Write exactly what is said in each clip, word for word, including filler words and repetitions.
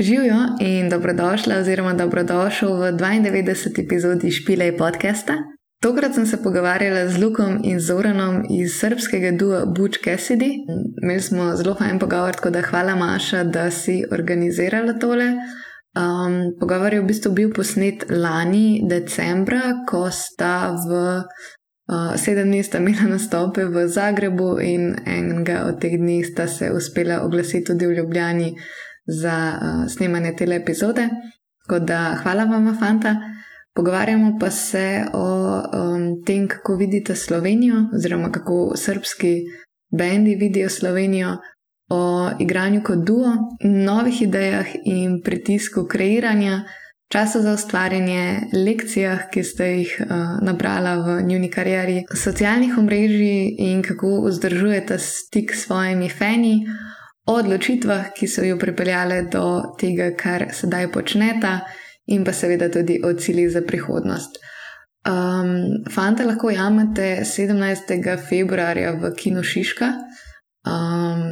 Živijo in dobrodošla oziroma dobrodošel v dvaindevetdeseti epizodi Špilej podcasta. Tokrat sem se pogovarjala z Lukom in Zoranom iz srbskega dua Butch Cassidy. Imeli smo zelo fajn pogovor, tako da hvala Maša, da si organizirala tole. Um, pogovor je v bistvu bil posnet lani decembra, ko sta v uh, sedem dni sta imela nastope v Zagrebu in enega od teh dni sta se uspela oglasiti tudi v Ljubljani za uh, snemanje tele epizode. Tako da hvala vama, fanta. Pogovarjamo pa se o um, tem, kako vidite Slovenijo oziroma kako srbski bendi vidijo Slovenijo, o igranju kot duo, novih idejah in pritisku kreiranja, času za ustvarjanje, lekcijah, ki ste jih uh, nabrala v njuni karieri, socialnih omrežij in kako vzdržujete stik s svojimi fani, o odločitvah, ki so jo pripeljale do tega, kar sedaj počneta, in pa seveda tudi o ciljih za prihodnost. Um, fanta lahko jamete sedemnajstega februarja v Kinu Šiška. Um,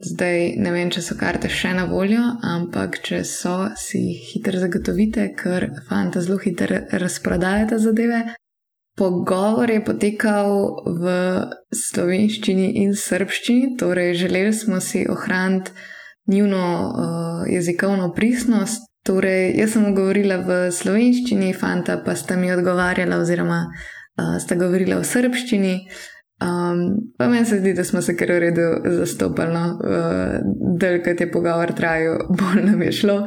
zdaj ne vem, če so karte še na voljo, ampak če so, si hitro zagotovite, ker fanta zelo hitro razprodajata zadeve. Pogovor je potekal v slovenščini in srbščini, torej želeli smo si ohraniti njuno uh, jezikovno pristnost. Torej, jaz sem govorila v slovenščini, fanta pa sta mi odgovarjala oziroma uh, sta govorila v srbščini. Um, pa meni se zdi, da smo se kar v redu zastopali, no? uh, Dalj, kot je pogovor trajal, bolj nam je šlo.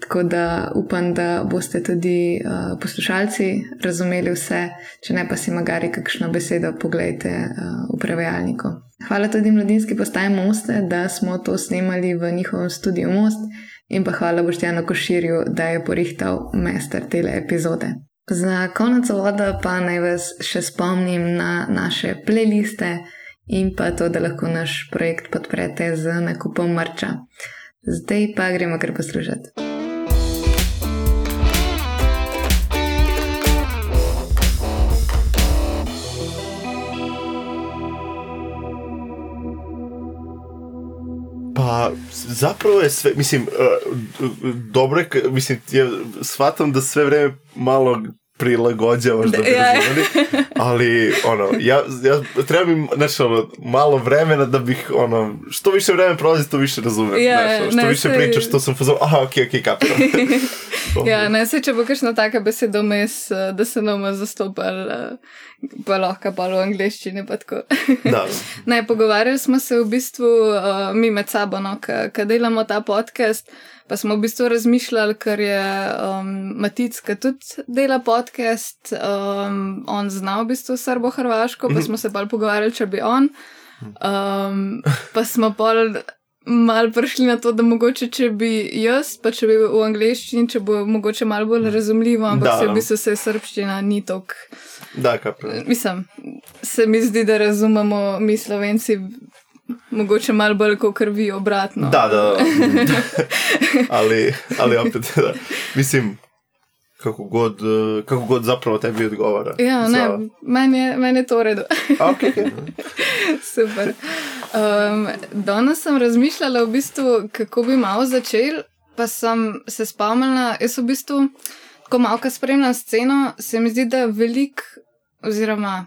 Tako da upam, da boste tudi uh, poslušalci razumeli vse, če ne pa si magari kakšno besedo pogledajte uh, v prevajalniku. Hvala tudi Mladinski postaji Moste, da smo to snemali v njihovem studiu Most, in pa hvala Boštjanu Koširju, da je porihtal mester tele epizode. Za konec voda pa naj vas še spomnim na naše playliste in pa to, da lahko naš projekt podprete z nakupom merča. Zdaj pa gremo kar poslušati. Pa zapravo je sve, mislim, uh, dobro je, mislim, ja shvatam da sve vreme malo prilagođavaš da bi razumeli, ali ono, ja, ja treba mi, znači, ono, malo vremena da bih, ono, što više vremena prolazi, to više razumem, ja, znači, što ne, više se... pričaš, što sam pozval, aha, okej, okej, kapiram. Ja, ne, se če bo kakšna taka beseda vmes, da se nam zastopali, pa lahko pa v angleščini, pa tako. Da. Ne, pogovarjali smo se v bistvu uh, mi med sabo, no, ko delamo ta podcast, pa smo v bistvu razmišljali, ker je um, Matic, ki tudi dela podcast, um, on zna v bistvu srbo-hrvaško, pa smo se pa pogovarjali, če bi on, um, pa smo pa malo prišli na to, da mogoče, če bi jaz, pa če bi v angleščini, če bo mogoče malo bolj razumljivo, ampak se v bistvu se srbščina ni tok. Da, kapra. Mislim, se mi zdi, da razumemo mi Slovenci mogoče malo bolj kot vi obratno. Da, da, da. ali, ali opet, da. Mislim, kako god, kako god zapravo tebi odgovara. Ja, ne, za... meni je, men je to v redu. Ok, ok. Super. Um, danes sem razmišljala v bistvu, kako bi malo začel, pa sem se spomnila, jaz v bistvu, ko malo ka spremljam sceno, se mi zdi, da veliko oziroma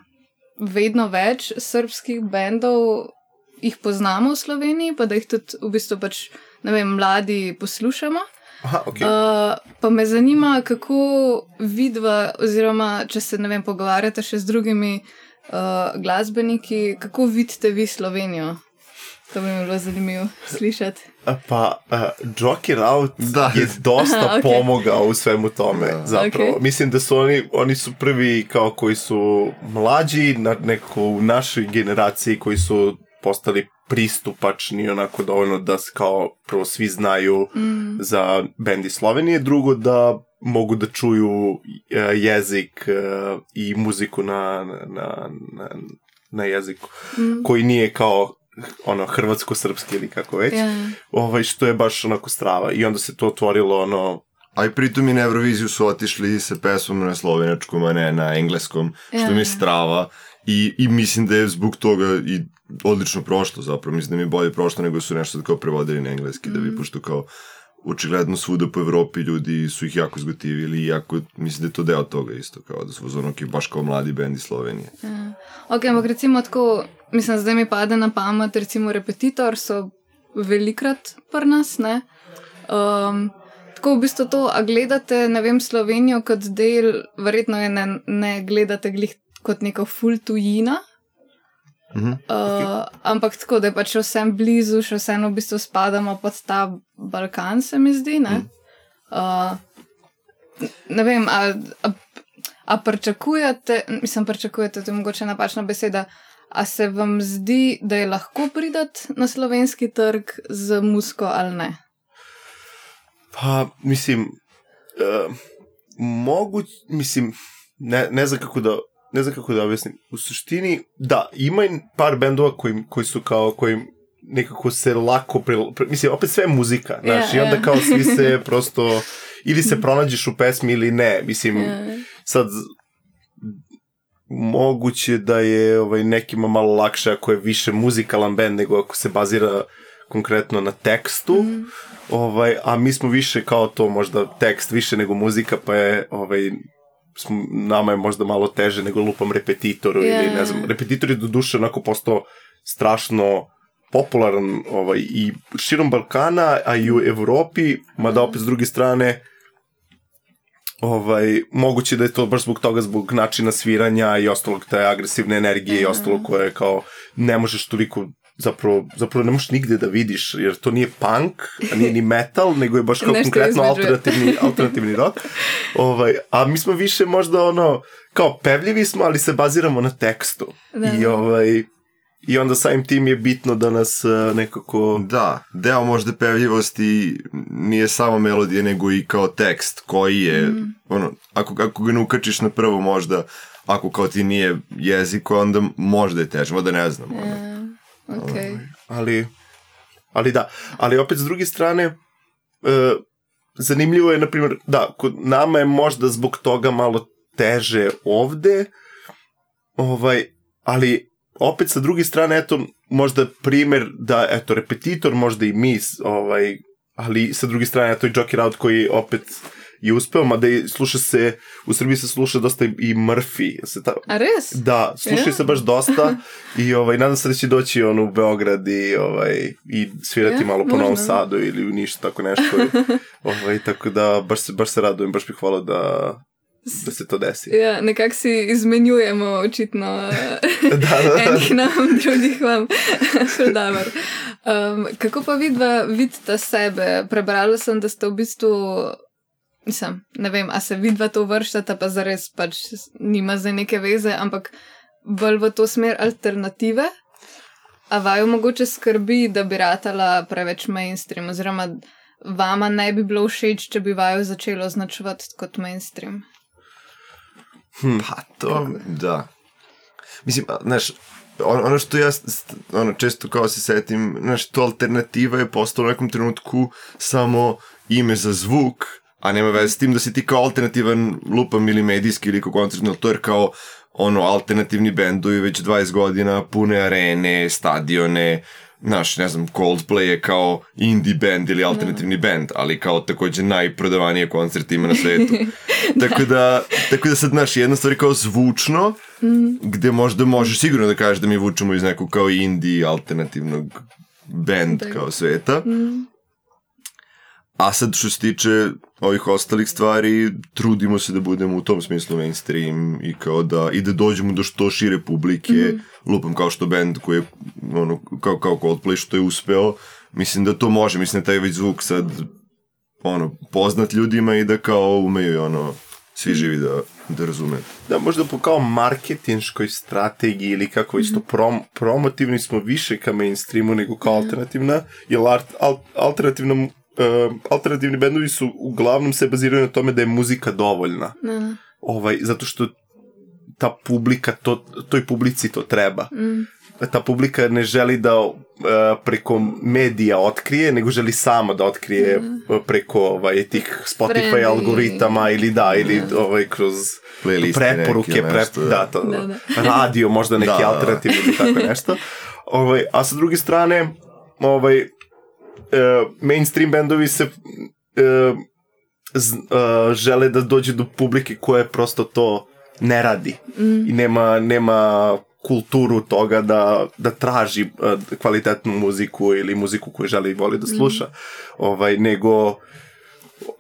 vedno več srbskih bendov jih poznamo v Sloveniji, pa da jih tudi v bistvu pač, ne vem, mladi poslušamo. Aha, okay. uh, pa me zanima, kako vidva, oziroma če se, ne vem, pogovarjate še z drugimi uh, glasbeniki, kako vidite vi Slovenijo? To bi mi bilo zanimivo slišati. Pa uh, Joker Out da. Je dosta Aha, okay. pomogao u svemu tome, zapravo. Okay. Mislim da su oni, oni su prvi kao koji su mlađi na neko u našoj generaciji koji su postali pristupačni onako dovoljno da kao prvo svi znaju mm. za bendi Slovenije, drugo da mogu da čuju uh, jezik uh, i muziku na, na, na, na jeziku mm. koji nije kao ono hrvatsko-srpski ili kako već, yeah. ovaj, što je baš onako strava i onda se to otvorilo ono. A i pritom i na Euroviziju su otišli sa pesmom na slovenačkom, a ne na engleskom, što yeah. mi je strava i, i mislim da je zbog toga i odlično prošlo zapravo, mislim da mi je bolje prošlo nego su nešto kao prevodili na engleski, mm. da bi pošto kao očigledno svuda po Evropi ljudi su ih jako zgotivili i jako, mislim da je to deo toga isto, kao da su ono ki baš kao mladi bend iz Slovenije. Ja. Ok, ampak recimo tako, mislim, zdaj mi pade na pamet, recimo Repetitor so velikrat pri nas, ne? Um, tako v bistvu to, a gledate, ne vem, Slovenijo kot del, verjetno je ne, ne gledate glih kot neko ful tujina, Mhm. uh, okay. Ampak tako, da je pač vsem blizu, še vseeno v bistvu spadamo pod ta Balkan, se mi zdi, ne? Mhm. Uh, ne vem, a, a, a pričakujete, mislim, pričakujete, to je mogoče napačna beseda, a se vam zdi, da je lahko pridati na slovenski trg z muziko ali ne? Pa, mislim, uh, moguć, mislim, ne, ne znam kako da, ne znam kako da objasnim. U suštini, da, ima par bendova koji, koji su kao, koji nekako se lako, pre, pre, mislim, opet sve je muzika, znaš, yeah, i onda yeah. kao svi se prosto, ili se pronađeš u pesmi ili ne, mislim, yeah. sad, moguće da je ovaj, nekima malo lakše ako je više muzikalan bend nego ako se bazira konkretno na tekstu, mm. ovaj, a mi smo više kao to možda tekst više nego muzika, pa je ovaj, smo, nama je možda malo teže nego lupam Repetitoru yeah. ili ne znam, Repetitor je do duše onako postao strašno popularan ovaj, i širom Balkana, a i u Evropi, mada opet s druge strane ovaj, moguće da je to baš zbog toga, zbog načina sviranja i ostalog te agresivne energije mm. i ostalo koje kao ne možeš toliko zapravo, zapravo ne možeš nigde da vidiš, jer to nije punk, a nije ni metal, nego je baš kao konkretno alternativni, alternativni rock. Ovaj, a mi smo više možda ono, kao pevljivi smo, ali se baziramo na tekstu. Da. I ovaj... I onda samim tim je bitno da nas uh, nekako... Da, deo možda pevljivosti nije samo melodija, nego i kao tekst koji je, mm. ono, ako, ako ga ne ukačiš na prvo možda, ako kao ti nije jezik, onda možda je teže, možda ne znam. Ono. Yeah, okay. ali, ali da, ali opet s druge strane, uh, zanimljivo je, na primjer, da, kod nama je možda zbog toga malo teže ovde, ovaj, ali opet sa druge strane, eto, možda primjer da, eto, Repetitor, možda i mi, ovaj, ali sa druge strane, eto, i Jockey Route koji opet je uspeo, mada i sluša se, u Srbiji se sluša dosta i Murphy. Se ta... A res? Da, sluša yeah. se baš dosta i ovaj, nadam se da će doći on u Beograd i, ovaj, i svirati yeah, malo po Novom Sadu ili u Nišu, tako nešto. ovaj, tako da, baš se, baš se radujem, baš bih hvala da... da se to desi. Ja, nekako si izmenjujemo očitno da, da, da. enih nam, drugih vam. um, kako pa vidva vidita sebe? Prebrala sem, da ste v bistvu, mislim, ne vem, a se vidva to vrštata, pa zares pač nima zdaj neke veze, ampak bolj v to smer alternative, a vaju mogoče skrbi, da bi ratala preveč mainstream, oziroma vama ne bi bilo všeč, če bi vaju začelo označevati kot mainstream. Hmm. Pa to, da. Mislim, znaš, on, ono što ja ono, često kao se setim, znaš, to alternativa je postalo u nekom trenutku samo ime za zvuk, a nema veze s tim da si ti kao alternativan lupam ili medijski ili kao koncertno, to je kao ono, alternativni bendovi već dvadeset godina, pune arene, stadione, znaš, ne znam, Coldplay je kao indie band ili alternativni no. band, ali kao također najprodavanije koncerte ima na svetu. tako, da, tako da sad, znaš, jedna stvar je kao zvučno, mm. gde možda možeš sigurno da kažeš da mi vučemo iz nekog kao indie alternativnog band da. Kao sveta. Mm. A sad što se tiče ovih ostalih stvari, trudimo se da budemo u tom smislu mainstream i kao da, i da dođemo do što šire publike, mm-hmm. lupam kao što band koji je, ono, kao, kao Coldplay što je uspeo, mislim da to može, mislim da taj već zvuk sad, ono, poznat ljudima i da kao umeju, ono, svi živi da, da razume. Da, možda po kao marketinškoj strategiji ili kako već to prom, promotivni smo više ka mainstreamu nego kao alternativna, jer art, al, alternativna Uh, alternativni bendovi su uglavnom se baziraju na tome da je muzika dovoljna. Mm. Ovaj, zato što ta publika, to, toj publici to treba. Mm. Ta publika ne želi da uh, preko medija otkrije, nego želi sama da otkrije mm. preko ovaj, tih Spotify Friendly. Algoritama ili da, ili mm. ovaj, kroz playlisti preporuke, prep, nešto, da, to, da, da. radio, možda neki da, alternativni ili tako nešto. Ovaj, a sa druge strane, ovaj, Uh, mainstream bendovi se uh, z, uh, žele da dođe do publike koja prosto to ne radi mm. i nema, nema kulturu toga da, da traži uh, kvalitetnu muziku ili muziku koju želi i voli da sluša, mm. ovaj, nego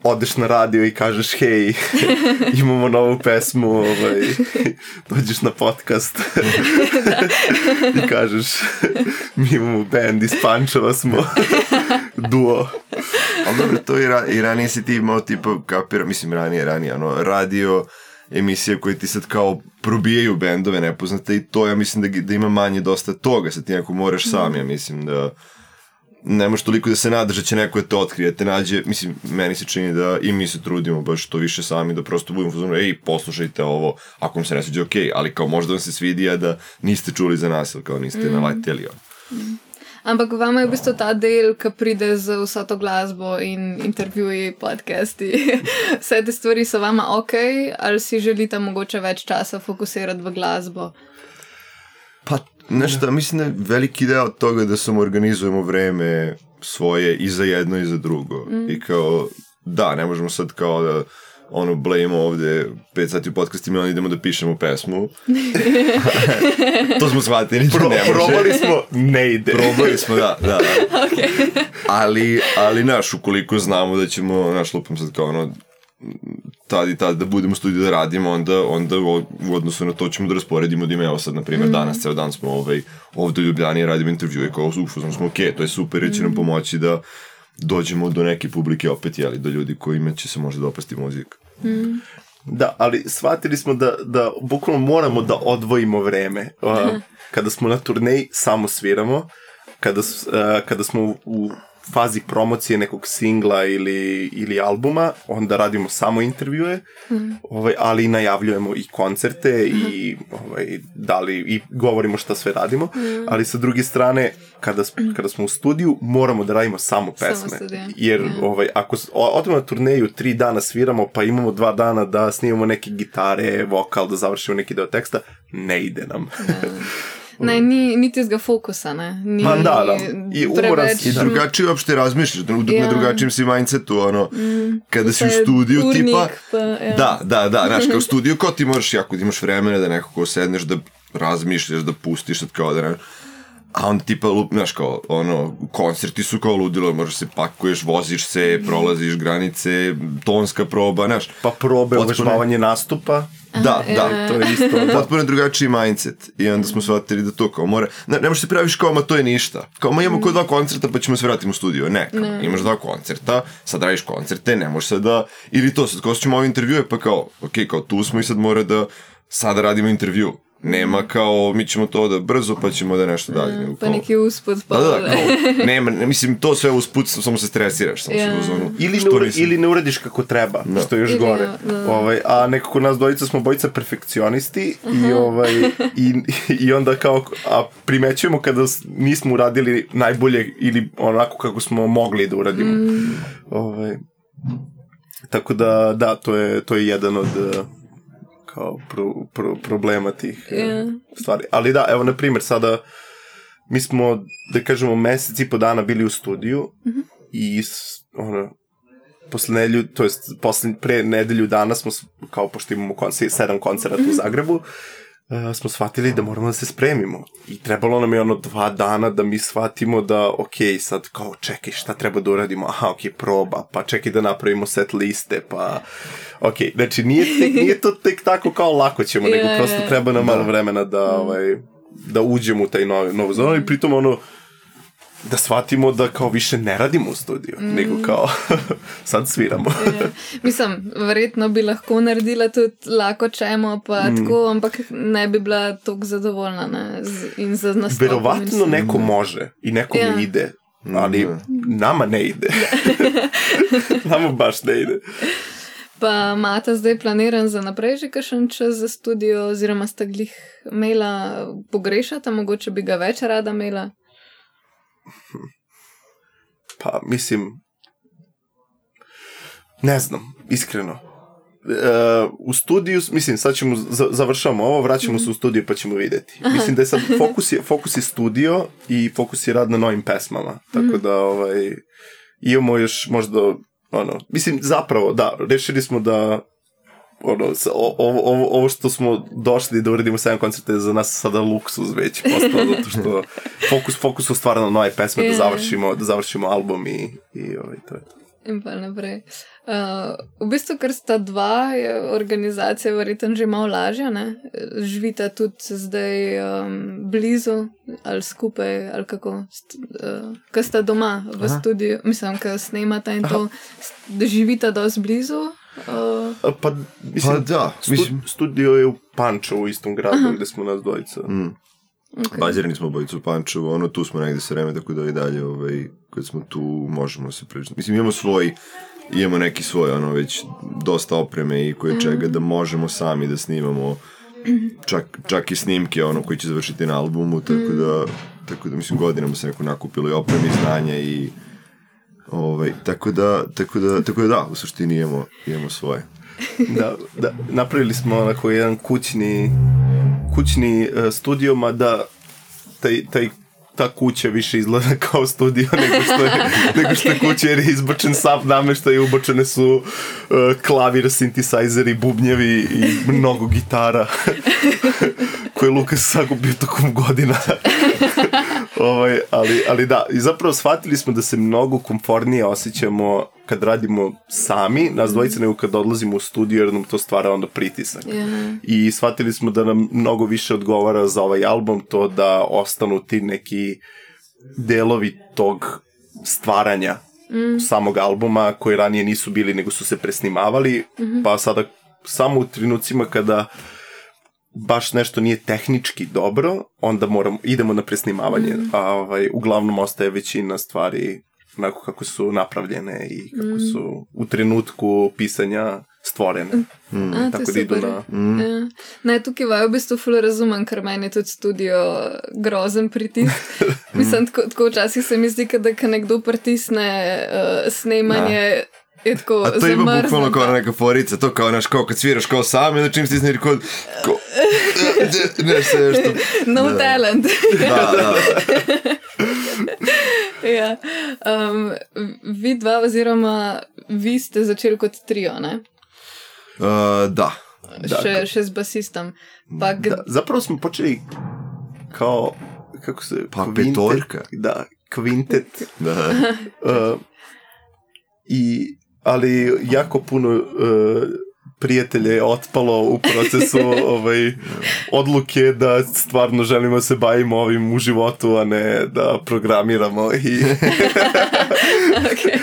odeš na radio i kažeš hej, imamo novu pesmu, ovaj, dođeš na podcast i kažeš mi imamo band iz Pančeva smo duo. Ali dobro, to i, ra- i ranije si ti imao tipa kapira, mislim ranije, ranije, ono, radio emisije koje ti sad kao probijaju bendove nepoznate i to ja mislim da, da ima manje dosta toga, sad ti neko moraš sam, ja mislim da ne možeš toliko da se nadaš da će neko da te otkrije, te nađe, mislim, meni se čini da i mi se trudimo baš to više sami, da prosto budemo fuzonu, ej, poslušajte ovo, ako vam se ne sviđa, okej, okay, ali kao možda vam se svidi, a da niste čuli za nas, ili kao niste mm. naletjeli. Mm. Ampak vama je v bistvu ta del, ki pride z vso to glasbo in intervjuji, podcasti, vse te stvari so vama ok, ali si želite mogoče več časa fokusirati v glasbo? Pa, nešto, mislim da je veliki deo od toga da samo organizujemo vreme svoje i za jedno i za drugo. Mm. I kao, da, ne možemo sad kao da ono, blejimo ovde pet sati u podcastima i onda idemo da pišemo pesmu. To smo shvatili, Pro, ne može. Probali smo, ne ide. Probali smo, da, da. Okay. Ali, ali, naš, ukoliko znamo da ćemo, naš, lupam sad kao ono, tad i tad da budemo u studiju da radimo, onda, onda u odnosu na to ćemo da rasporedimo da ima, evo sad, na primjer, mm. danas, ceo dan smo ovaj, ovde u Ljubljani radimo intervjue, kao ufo, smo ok, to je super, jer će nam pomoći da dođemo do neke publike opet, jeli, do ljudi kojima će se možda dopasti muzika. Mm. Da, ali shvatili smo da, da bukvalno moramo da odvojimo vreme. Uh, kada smo na turneji, samo sviramo. Kada, uh, kada smo u, u fazi promocije nekog singla ili, ili albuma, onda radimo samo intervjue, mm. ovaj, ali najavljujemo i koncerte mm. i, ovaj, dali, i govorimo šta sve radimo, mm. ali sa druge strane, kada, kada smo u studiju, moramo da radimo samo pesme. Samo jer mm. ovaj, ako odemo na turneju, tri dana sviramo, pa imamo dva dana da snimamo neke gitare, vokal, da završimo neki deo teksta, ne ide nam. Ne, ni, ni tizga fokusa, ne. Ni, Ma, da, da. I preveč... I drugačije uopšte razmišljaš, da ja. na drugačijem si mindsetu, ono, mm, kada si u studiju, turnik, tipa... Pa, ja. Da, da, da, znaš, kao u studiju, kao ti možeš, jako ti imaš vremena da nekako sedneš, da razmišljaš, da pustiš, sad kao da ne... A onda tipa, znaš, kao, ono, koncerti su kao ludilo, možeš se pakuješ, voziš se, prolaziš granice, tonska proba, znaš. Pa probe, uvežbavanje nastupa. Da, Aha, da, e. to je isto. Potpuno drugačiji mindset. I onda smo shvatili da to kao mora... Ne, ne možeš se praviš kao, ma to je ništa. Kao, ma imamo mm. kod dva koncerta pa ćemo se vratiti u studio. Ne, kao, ne. Imaš dva koncerta, sad radiš koncerte, ne možeš sad da... Ili to, sad kao ćemo ove intervjue, pa kao, ok, kao tu smo i sad mora da sada radimo intervju. Nema kao, mi ćemo to da brzo, pa ćemo da nešto dalje. Mm, pa neki usput. Pa da, da, kao, nema, ne, mislim, to sve usput, samo se stresiraš. Samo yeah. se uzonu, ili, ne ura, ili ne uradiš kako treba, no. što je još ili, gore. No. Ovaj, a nekako nas dvojica smo bojica perfekcionisti i, ovaj, i, i onda kao, a primećujemo kada nismo uradili najbolje ili onako kako smo mogli da uradimo. Mm. Ovaj, tako da, da, to je, to je jedan od... kao pro, pro, problema tih yeah. uh, stvari. Ali da, evo, na primjer, sada mi smo, da kažemo, mesec i po dana bili u studiju mm-hmm. i ono, posle nedelju, to jest posle, pre nedelju dana smo, kao pošto imamo koncer, sedam koncerata mm-hmm. u Zagrebu, uh, smo shvatili da moramo da se spremimo. I trebalo nam je ono dva dana da mi shvatimo da, ok, sad kao čekaj, šta treba da uradimo? Aha, ok, proba, pa čekaj da napravimo set liste, pa... Ok, znači nije, tek, nije to tek tako kao lako ćemo, nego yeah, prosto treba nam malo vremena da, ovaj, da uđemo u taj novi, novu zonu i pritom ono, da shvatimo da kao više ne radimo u studiju, mm. nego kao sad sviramo. Yeah. Mislim, verjetno bi lahko naredila tudi lako čemo, pa mm. tako, ampak ne bi bila toliko zadovoljna, ne, in za nastop. Verovatno neko može i nekom yeah. ide, ali mm. nama ne ide. Nama baš ne ide. Pa imate zdaj planiran za naprej že kakšen čas za studio, oziroma sta glih imela pogrešata, mogoče bi ga več rada imela? Pa, mislim, ne znam, iskreno. Uh, u studiju, mislim, sad ćemo, završamo ovo, vraćamo mm-hmm. se u studiju pa ćemo vidjeti. Aha. Mislim da je sad fokus je, fokus je studio i fokus je rad na novim pesmama. Tako mm-hmm. da, ovaj, imamo još možda ono, mislim, zapravo, da, rešili smo da ono, ovo, ovo, ovo što smo došli da uredimo sedam koncerta je za nas sada luksuz već postao, zato što fokus, fokus u stvarno nove pesme, da završimo, da završimo album i, i ovaj, to je to. In pa naprej. Uh, v bistvu, ker sta dva, je organizacija verjetno že malo lažja, ne? Živita tudi zdaj um, blizu ali skupaj, ali kako, uh, ko sta doma v Aha. studiu, mislim, ko snemata in to, da živita dosti blizu. Uh, pa, mislim, pa da, mislim. Stu, studio je v Pančevu, u istom gradu, Aha. gde smo nas dvojica. Mm. Okay. Bazirani smo obojicu u Pančevu, ono tu smo negde sve vreme, tako da i dalje, ovaj, kad smo tu, možemo se pričati. Mislim, imamo svoj, imamo neki svoj, ono, već dosta opreme i koje čega da možemo sami da snimamo, čak, čak i snimke, ono, koji će završiti na albumu, tako da, tako da, mislim, godinama se neko nakupilo i opreme i znanja i, ovaj, tako da, tako da, tako da, da, u suštini imamo, imamo svoje. Da, da, napravili smo onako jedan kućni kućni uh, studio, mada taj, taj, ta kuća više izgleda kao studio nego što je, nego što je kuća, jer je izbačen sav nameštaj i ubačene su uh, klavir, sintisajzeri, bubnjevi i mnogo gitara koje je Lukas sakupio tokom godina. ovaj, ali, ali da, i zapravo shvatili smo da se mnogo komfortnije osjećamo kad radimo sami, nas dvojica, nego kad odlazimo u studio, jer nam to stvara onda pritisak. Yeah. I shvatili smo da nam mnogo više odgovara za ovaj album to da ostanu ti neki delovi tog stvaranja mm. samog albuma, koji ranije nisu bili, nego su se presnimavali, mm-hmm. pa sada samo u trenucima kada baš nešto nije tehnički dobro, onda moramo, idemo na presnimavanje, mm. a ovaj, uglavnom ostaje većina stvari onako kako su napravljene i kako mm. su u trenutku pisanja stvorene. Mm. A, tako da idu na... Mm. Ja. Ne, tukaj v bistvu ful razumem, ker meni je tudi studio grozen pritisk. Mislim, tako, tako včasih se mi zdi, da kad nekdo pritisne uh, snemanje... Je tako, a to ima bukvalno kao neka forica, to kao naš, kao kad sviraš kao sam, onda čim stisneš kod kao, ne se što no da. Talent. Da, da. Ja. Um, vi dva oziroma vi ste začeli kot trio, ne? Uh, da. Še, še z basistom. Pa g- da, zapravo smo počeli kao, kako se... Pa kvintet, petorka. Da, kvintet. Da. Uh, I ali jako puno uh, prijatelja je otpalo u procesu ovaj, odluke da stvarno želimo se bavimo ovim u životu, a ne da programiramo i, okay.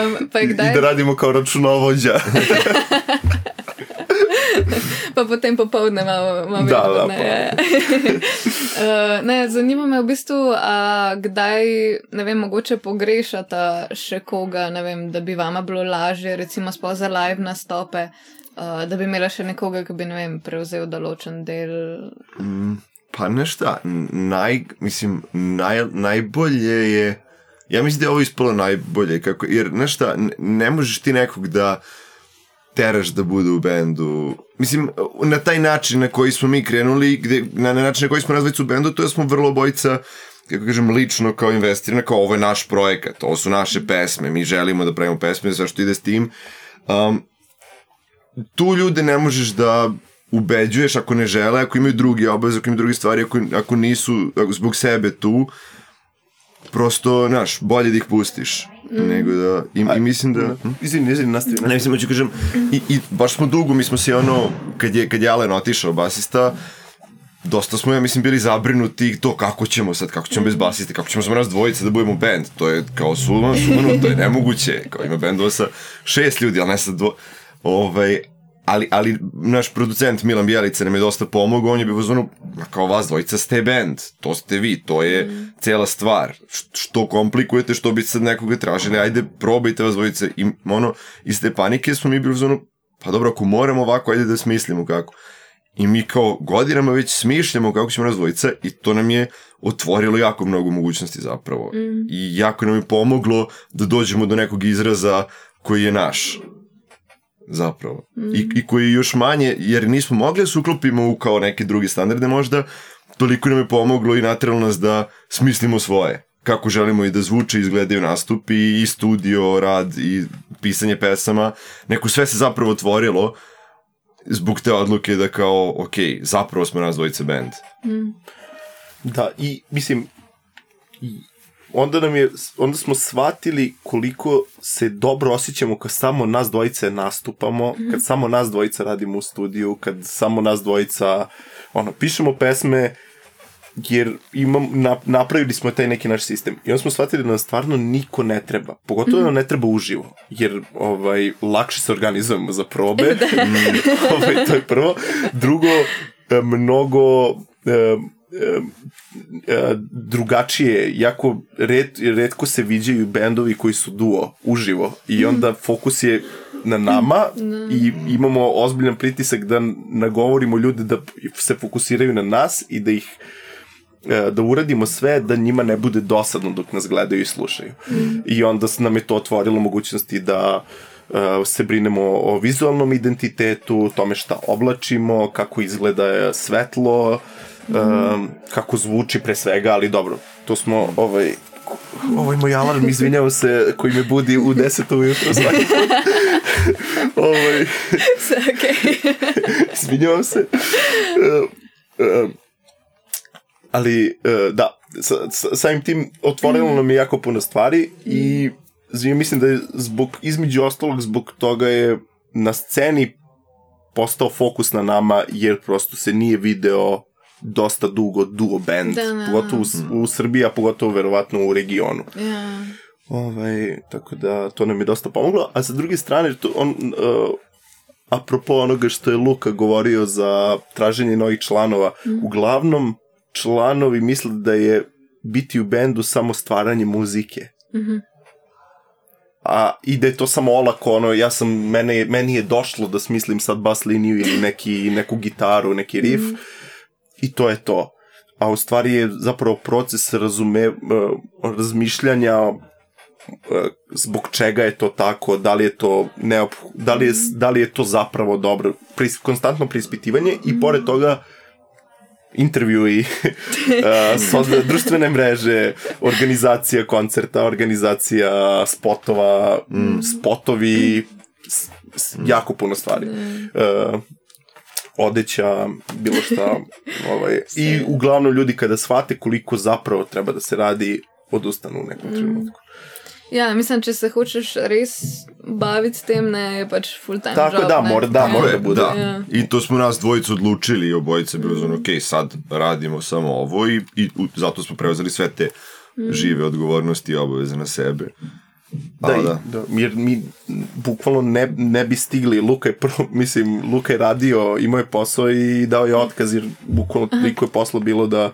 um, pa kdaj... i da radimo kao računovođa. Pa potem popovdne malo, malo da, da, ne. uh, ne, zanima me v bistvu, a kdaj, ne vem, mogoče pogrešata še koga, ne vem, da bi vama bilo lažje, recimo sploh za live nastope, uh, da bi imela še nekoga, ki bi, ne vem, prevzel določen del. Mm, pa nešta, naj, mislim, naj, najbolje je, ja mislim da je ovo ispalo najbolje, kako, jer nešta, ne, ne možeš ti nekog da teraš da bude u bendu. Mislim, na taj način na koji smo mi krenuli, gde, na, na način na koji smo razvojci u bendu, to je smo vrlo obojica, kako kažem, lično kao investirana, kao ovo je naš projekat, ovo su naše pesme, mi želimo da pravimo pesme, sve što ide s tim. Um, tu ljude ne možeš da ubeđuješ ako ne žele, ako imaju drugi obaveze, ako imaju drugi stvari, ako, ako nisu ako zbog sebe tu, prosto, znaš, bolje da ih pustiš. Mm. Nego da, i, i mislim da... Izvini, izvini, nastavi. Ne, mislim, hoću kažem, i, i baš smo dugo, mi smo se ono, kad je, kad je Alen otišao, basista, dosta smo, ja mislim, bili zabrinuti to kako ćemo sad, kako ćemo bez basiste, kako ćemo samo nas dvojice da budemo band, to je kao sumano, sumano, to je nemoguće, kao ima bendova sa šest ljudi, ali ne sad dvo... Ovaj, ali, ali naš producent Milan Bjelica nam je dosta pomogao, on je bio ono, kao vas dvojica ste band, to ste vi, to je mm. cela stvar, što komplikujete, što bi sad nekoga tražili, ajde probajte vas dvojice, i ono, iz te panike smo mi bili ono, pa dobro, ako moramo ovako, ajde da smislimo kako. I mi kao godinama već smišljamo kako ćemo nas dvojica i to nam je otvorilo jako mnogo mogućnosti zapravo. Mm. I jako nam je pomoglo da dođemo do nekog izraza koji je naš. Zapravo. Mm. I, I koji je još manje, jer nismo mogli da se uklopimo u kao neke druge standarde možda, toliko nam je pomoglo i nateralo nas da smislimo svoje. kako želimo i da zvuče, izgledaju nastupi, i studio, rad, i pisanje pesama, neko sve se zapravo otvorilo zbog te odluke da kao, ok, zapravo smo nas dvojice band. Mm. Da, i mislim, onda nam je, onda smo shvatili koliko se dobro osjećamo kad samo nas dvojice nastupamo, mm. kad samo nas dvojica radimo u studiju, kad samo nas dvojica, ono, pišemo pesme, jer imam, na, napravili smo taj neki naš sistem. I onda smo shvatili da nam stvarno niko ne treba. Pogotovo mm. nam ne treba uživo. Jer ovaj, lakše se organizujemo za probe. ovaj, to je prvo. Drugo, mnogo e, e, drugačije. Jako red, redko se viđaju bendovi koji su duo uživo. I onda fokus je na nama i imamo ozbiljan pritisak da nagovorimo ljude da se fokusiraju na nas i da ih da uradimo sve da njima ne bude dosadno dok nas gledaju i slušaju. Mm. I onda nam je to otvorilo mogućnosti da uh, se brinemo o vizualnom identitetu, tome šta oblačimo, kako izgleda svetlo, mm. um, kako zvuči pre svega, ali dobro, to smo ovaj ovaj moj alarm, izvinjavam se, koji me budi u deset ujutro svaki put. ovaj okay. izvinjavam se. Uh, uh, ali, uh, da, sa, sa, samim tim otvorilo mm. nam je jako puno stvari i znači, mislim da je zbog, između ostalog zbog toga je na sceni postao fokus na nama, jer prosto se nije video dosta dugo duo band, da, da. Pogotovo u, u Srbiji, a pogotovo verovatno u regionu. Yeah. Ovaj, tako da to nam je dosta pomoglo, a sa druge strane, to, on, uh, apropo onoga što je Luka govorio za traženje novih članova, mm. uglavnom članovi misle da je biti u bendu samo stvaranje muzike. Mhm. A, i da je to samo olako, ono, ja sam, mene, meni je došlo da smislim sad bas liniju ili neki, neku gitaru, neki riff, mm. i to je to. A u stvari je zapravo proces razume, uh, razmišljanja uh, zbog čega je to tako, da li je to neop, da li je, da li je to zapravo dobro, Pris, konstantno preispitivanje mm. i pored toga intervjui, uh, društvene mreže, organizacija koncerta, organizacija spotova, mm. spotovi, s, s, jako puno stvari. Uh, odeća, bilo šta. Ovaj. I uglavnom ljudi kada shvate koliko zapravo treba da se radi, odustanu u nekom trenutku. Ja, mislim, če se hočeš res baviti s tem, ne, je pač full time tako job. Tako da, mora da, mora da bude. Da. Ja. I to smo nas dvojicu odlučili i obojice bilo znači, ok, sad radimo samo ovo i, i zato smo preuzeli sve te mm. žive odgovornosti i obaveze na sebe. Da, da, da. da, jer mi bukvalno ne, ne bi stigli. Luka je prvo, mislim, Luka je radio, imao je posao i dao je otkaz, jer bukvalno toliko je posla bilo da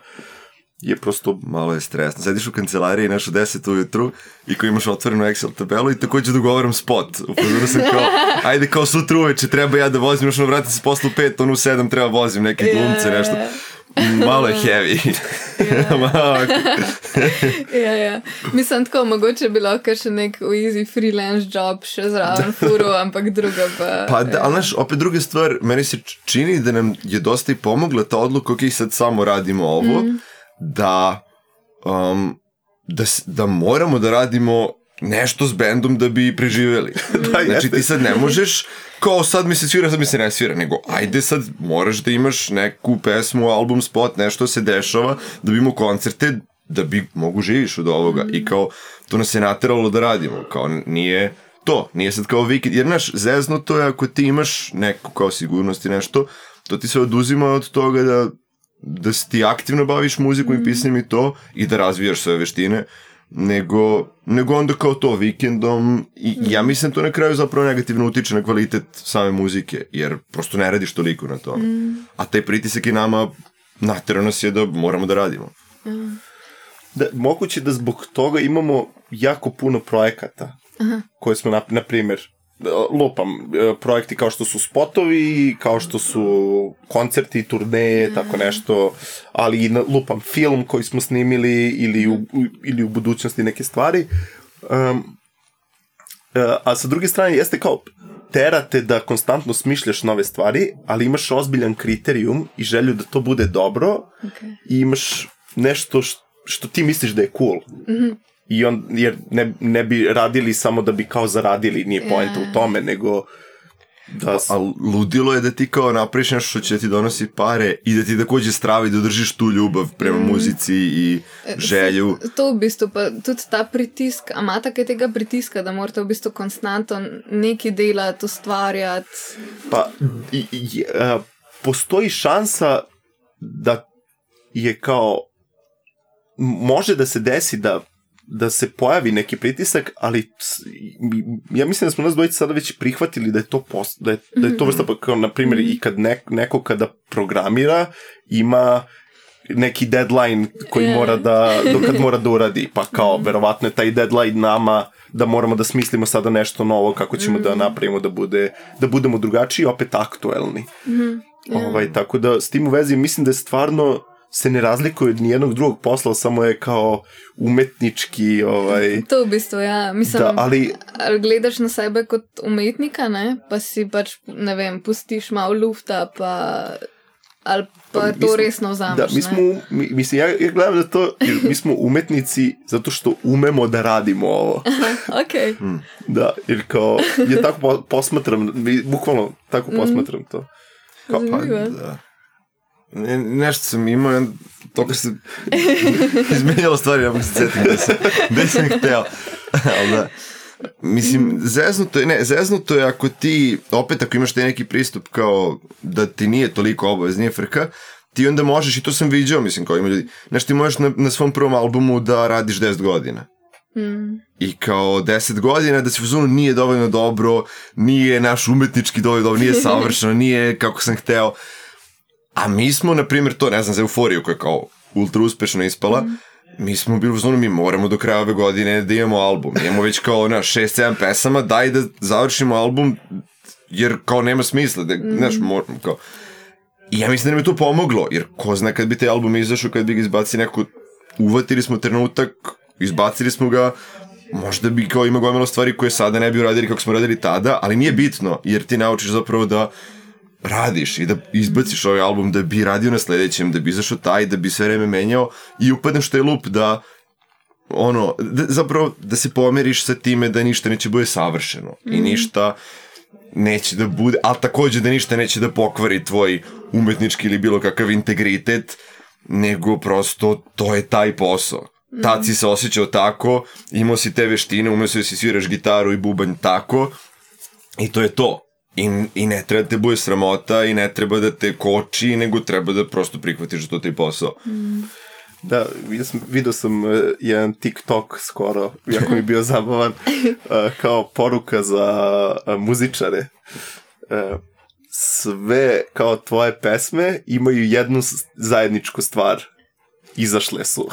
je prosto... Malo je stresno. Sediš u kancelariji nešto deset ujutru i ko imaš otvorenu Excel tabelu i također dogovaram spot. Upozorio sam kao, ajde kao sutra uveče treba ja da vozim, još ono vratim se posle u pet, ono u sedam treba vozim neke glumce, yeah. nešto. Malo je heavy. ja, ja. Mislim, tako mogoče bi lahko še nek easy freelance job še zraven furu, ampak druga pa... Pa, da, ali znaš, opet druga stvar, meni se čini da nam je dosta i pomogla ta odluka, ok, sad samo radimo ovo, mm. da, um, da, da moramo da radimo nešto s bendom da bi preživjeli. da, znači ti sad ne možeš kao sad mi se svira, sad mi se ne svira, nego ajde sad moraš da imaš neku pesmu, album, spot, nešto se dešava, da bi imao koncerte, da bi mogu živiš od ovoga. I kao to nas je nateralo da radimo, kao nije to, nije sad kao vikend, jer naš zezno to je ako ti imaš neku kao sigurnost i nešto, to ti se oduzima od toga da da se ti aktivno baviš muzikom mm. i pisanjem i to, i da razvijaš sve veštine, nego, nego onda kao to vikendom i mm. ja mislim to na kraju zapravo negativno utiče na kvalitet same muzike, jer prosto ne radiš toliko na tome. Mm. A taj pritisak i nama natjerao nas je da moramo da radimo. Mm. Da, moguće da zbog toga imamo jako puno projekata Aha. koje smo, na, na primjer, lupam, projekti kao što su spotovi, kao što su koncerti, turneje, tako nešto, ali i lupam film koji smo snimili ili u, ili u budućnosti neke stvari. Um, a sa druge strane jeste kao terate da konstantno smišljaš nove stvari, ali imaš ozbiljan kriterijum i želju da to bude dobro okay. i imaš nešto što što ti misliš da je cool. Mm-hmm. I on, jer ne, ne bi radili samo da bi kao zaradili, nije poenta yeah. u tome, nego da... A, a ludilo je da ti kao napraviš nešto što će ti donosi pare i da ti također stravi da držiš tu ljubav prema mm. muzici i želju. To v bistvu, pa tudi ta pritisk, a ima tako tega pritiska, da morate v bistvu konstantno nekaj delati, ustvarjati? Pa, i, i, uh, postoji šansa da je kao, može da se desi da da se pojavi neki pritisak, ali ja mislim da smo nas dvojice sada već prihvatili da je to post, da je, da je to vrsta, kao na primjer i kad nek, neko kada programira ima neki deadline koji yeah. mora da, do kad mora da uradi, pa kao verovatno je taj deadline nama da moramo da smislimo sada nešto novo kako ćemo mm. da napravimo da bude, da budemo drugačiji, opet aktuelni. Mm. Yeah. Ovaj, tako da s tim u vezi mislim da je stvarno se ne razlikuje od nijednog drugog posla, samo je kao umetnički... Ovaj, to v bistvu, ja. Mislim, da, ali, ali gledaš na sebe kot umetnika, ne? Pa si pač, ne vem, pustiš malo lufta, pa... Ali pa, pa to smo, resno vzameš, da, mi smo, mi, mislim, ja, ja gledam da to, jer mi smo umetnici zato što umemo da radimo ovo. Okej. Okay. Mm. Da, jer kao, ja tako posmatram, bukvalno tako posmatram to. Kao, pa, da. Ne, nešto sam imao, to kad se izmenjalo stvari, ja bih se cetim da sam, da sam hteo. Ali da, mislim, zeznuto je, ne, zeznuto je ako ti, opet ako imaš taj neki pristup kao da ti nije toliko obavez, nije frka, ti onda možeš, i to sam viđao, mislim, kao ima ljudi, znaš, ti možeš na, na svom prvom albumu da radiš deset godina. Mm. I kao deset godina da se u zonu nije dovoljno dobro, nije naš umetnički dovoljno dobro, nije savršeno, nije kako sam hteo. A mi smo, na primjer, to, ne znam, za Euforiju koja je kao ultra uspešno ispala, mm. mi smo bili u zonu, mi moramo do kraja ove godine da imamo album. Imamo već kao na šest sedam pesama, daj da završimo album, jer kao nema smisla, da, mm. znaš, moramo kao... I ja mislim da nam je to pomoglo, jer ko zna kad bi taj album izašao, kad bi ga izbacili neko, uvatili smo trenutak, izbacili smo ga, možda bi kao ima gomilo stvari koje sada ne bi uradili kako smo radili tada, ali nije bitno, jer ti naučiš zapravo da radiš i da izbaciš ovaj album, da bi radio na sledećem, da bi izašao taj, da bi sve vreme menjao i upadneš taj lup da ono, da, zapravo da se pomeriš sa time da ništa neće bude savršeno mm. i ništa neće da bude, ali također da ništa neće da pokvari tvoj umetnički ili bilo kakav integritet, nego prosto to je taj posao. Mm. Tad si se osjećao tako, imao si te veštine, umeo si da si sviraš gitaru i bubanj tako i to je to. I, I ne treba da te bude sramota i ne treba da te koči, nego treba da prosto prihvatiš da to taj posao. Mm. Da, vidio sam, vidio sam uh, jedan TikTok skoro, jako mi bio zabavan, uh, kao poruka za uh, muzičare. Uh, sve kao tvoje pesme imaju jednu zajedničku stvar. Izašle su.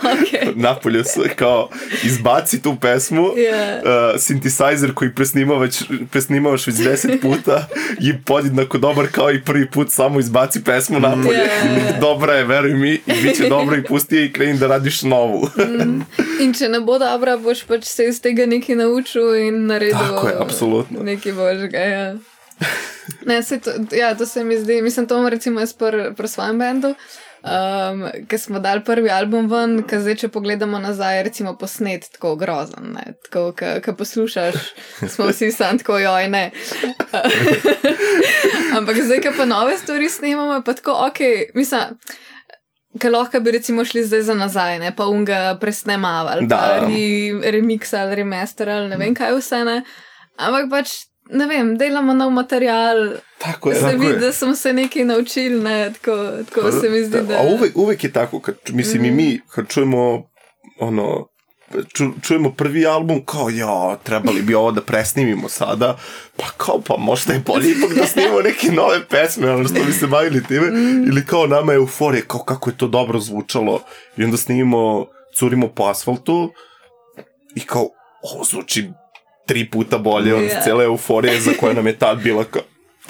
Okay. Napolju su, kao izbaci tu pesmu, yeah. uh, synthesizer koji presnimavaš, presnimavaš već deset puta i podjednako dobar kao i prvi put, samo izbaci pesmu napolje. Yeah. Dobra je, veruj mi, i bit će dobro i pusti je i kreni da radiš novu. mm. In če ne bo dobra, boš pač se iz tega nekaj naučil in naredil. Tako je, apsolutno. Nekaj božga, ja. Ne, se to, ja, to se mi zdi, mislim, to recimo jaz pri pr svojem bendu, Um, ker smo dali prvi album ven, ker zdaj, če pogledamo nazaj, recimo posnet tako grozen, ne, tako, ker poslušaš, smo vsi sam tako, joj, ne. Ampak zdaj, ker pa nove stvari snemamo, pa tako, okej, okay, mislim, ker lahko bi recimo šli zdaj za nazaj, ne, pa unga presnemavali, pa re, remix ali remaster ali ne vem kaj vse, ne, ampak pač, ne vem, delamo nov material, tako je, se tako vidi, je. da smo se nekaj naučili, ne, tako, tako pa, se mi zdi, da... A uvek, uvek je tako, kad, mislim, mm. i mi, kad čujemo, ono, ču, čujemo prvi album, kao, ja, trebali bi ovo da presnimimo sada, pa kao, pa možda je bolje ipak da snimimo neke nove pesme, ono što bi se bavili time, mm. ili kao nama je euforija, kao kako je to dobro zvučalo, i onda snimimo, curimo po asfaltu, i kao, ovo zvuči tri puta bolje od yeah. cele euforije za koja nam je tad bila kao,